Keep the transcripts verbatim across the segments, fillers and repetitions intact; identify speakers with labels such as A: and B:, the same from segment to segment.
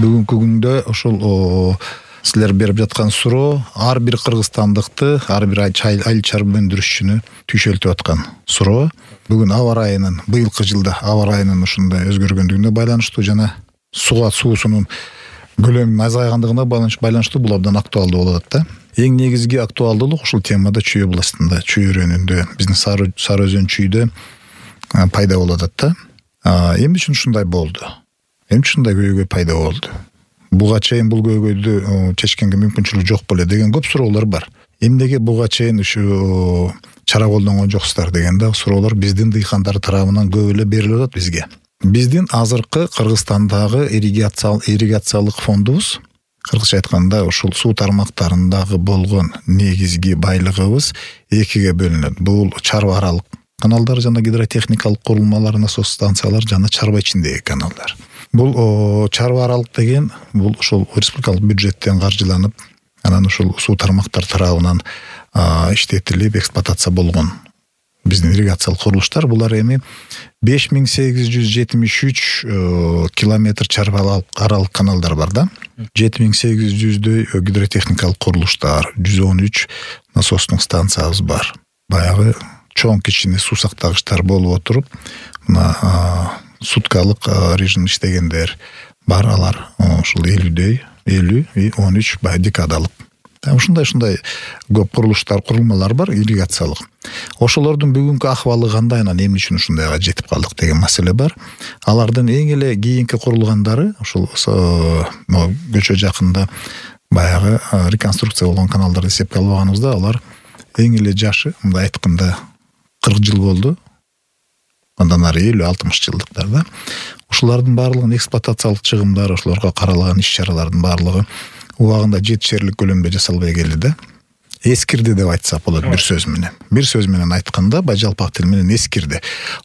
A: бүгүнкү күндө ошол силер берип жаткан суроо ар бир кыргызстандыкты, ар бир айыл чарба өндүрүшчүнү түйшөлтүп аткан суроо. Бүгүн аба ырайынын, быйылкы жылда аба ырайынын ушундай өзгөргөндүгүнө байланыштуу жана суга суусунун көлөмүнүн азайгандыгына байланыштуу бул абдан актуалдуу болуп атат да. Эң негизги актуалдуулук ушул темада Чүй областында, Чүй өрөөнүндө, биздин Сары Өзөн Чүйдө пайда болуп атат да. Эмне үчүн ушундай болду? Эмне үчүн ушундай көйгөй пайда болду? Буга чейин бул көйгөйдү чечкенге мүмкүнчүлүк жок беле деген көп суроолор бар. Эмнеге буга чейин ушу чара колдонгон жоксуздар деген да суроолор биздин дыйкандар тарабынан көп эле берилип атат бизге. Биздин азыркы Кыргызстандагы ирригациялык фондубуз, кыргызча айтканда ушул суу тармактарындагы болгон негизги байлыгыбыз экиге бөлүнөт. Бул чарба аралык каналдар жана гидротехникалык курулмалар, насос станциялар жана чарба ичиндеги каналдар. Бул чарба аралык деген бул ушул республикалык бюджеттен каржыланып, анан ушул суу тармактар тарабынан иштетилип, эксплуатация болгон биздин ирригациялык курулуштар. Булар эми беш миң сегиз жүз жетимиш үч километр чарба аралык каналдар бар да. жети миң сегиз жүздөй гидротехникалык курулуштар, жүз он үч насостук станциябыз бар. Баягы чоң кичине суу сактагычтар болуп отуруп, мына суткалык режим иштегендер бар, алар ушул элүүдөй, элүү и он үч бай декадалык. Ушундай-ушундай көп курулуштар, курулмалар бар ирригациялык. Ошолордун бүгүнкү акыбалы кандай, анан эмне үчүн ушундайга жетип калдык деген маселе бар. Алардын эң эле кийинки курулгандары ушул көчө жакында баягы реконструкция болгон каналдарды эсепке албаганыбызда, алар эң эле жашы, мындай айтканда кырк жыл болду. Андан ары элүү алтымыш жылдыктар да. Ушулардын баардыгынын эксплуатациялык чыгымдары, ошолорго каралган иш-чаралардын баардыгы убагында жетишерлик көлөмдө жасалбай келди да. Эскирди деп айтсак болот бир сөз менен. Бир сөз менен айтканда, бажалпак тил менен эскирди.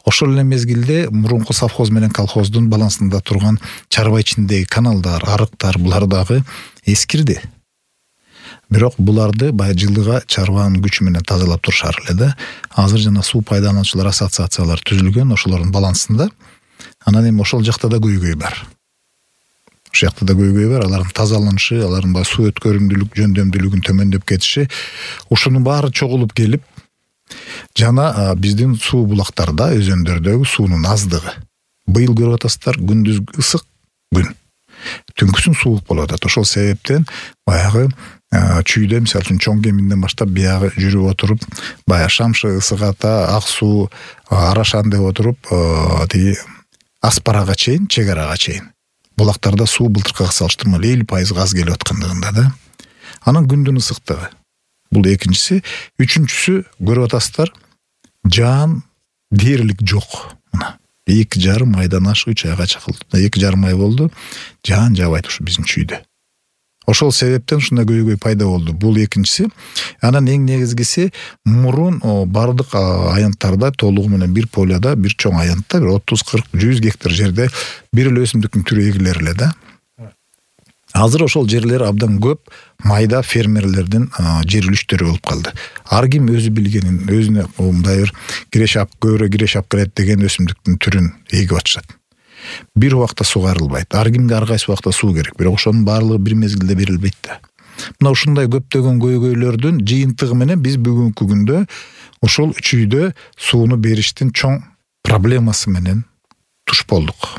A: Ошол эле мезгилде мурунку совхоз менен колхоздун балансында турган чарба ичиндеги каналдар, арыктар, булар дагы эскирди. Бирок буларды бай жылыга чарбанын күчү менен тазалап турушар эле да. Азыр жана суу пайдалануучулар ассоциациялары түзүлгөн, ошолордун балансында. Анан эми ошол жакта да көйгөй бар. Ошол жакта да көйгөй бар, алардын тазаланышы, алардын бай суу өткөрүмдүүлүк, жөндөмдүүлүгүн төмөндөп кетиши, ушунун баары чогулуп келип, жана биздин суу булактарда, өзөндөрдөгү суунун аздыгы. Быйыл көрүп атасыздар, күндүз ысык күн, түнкүсүн суук болуп атат. Ошол себептен баягы Чүйдө, мисалы үчүн чоң кеминден баштап биягы жүрүп отуруп, баягы Шамшы, Ысык Ата, Ак суу, Арашан деп отуруп, тиги Аспарага чейин, Чек арага чейин булактарда суу былтыркыга салыштырмалуу элүү пайыз аз келип аткандыгында да. Анан күндүн ысыктыгы. Бул экинчиси, үчүнчүсү көрүп атасыздар, жаан дээрлик жок. Мына эки жарым айдан ашык үч айга чакылды. эки жарым ай болду, жаан жаабайт ушу биздин Чүйдө. Ошол себептен ушундай көйгөй пайда болду. Бул экинчиси. Анан эң негизгиси, мурун бардык аянттарда толугу менен бир поляда, бир чоң аянтта, бир отуз кырк жүз гектар жерде бир эле өсүмдүктүн түрү эгилер эле да. Азыр ошол жерлер абдан көп майда фермерлердин жер үлүштөрү болуп калды. Ар ким өзү билгенин, өзүнө мындай бир кирешап, көбүрөөк кирешап келет деген өсүмдүктүн түрүн эгип атышат. Бир убакта сугарылбайт. Ар кимге ар кайсы убакта суу керек. Бирок ошонун баардыгы бир мезгилде берилбейт да. Мына ушундай көптөгөн көйгөйлөрдүн жыйынтыгы менен биз бүгүнкү күндө ушул Чүйдө сууну бериштин чоң проблемасы менен туш болдук.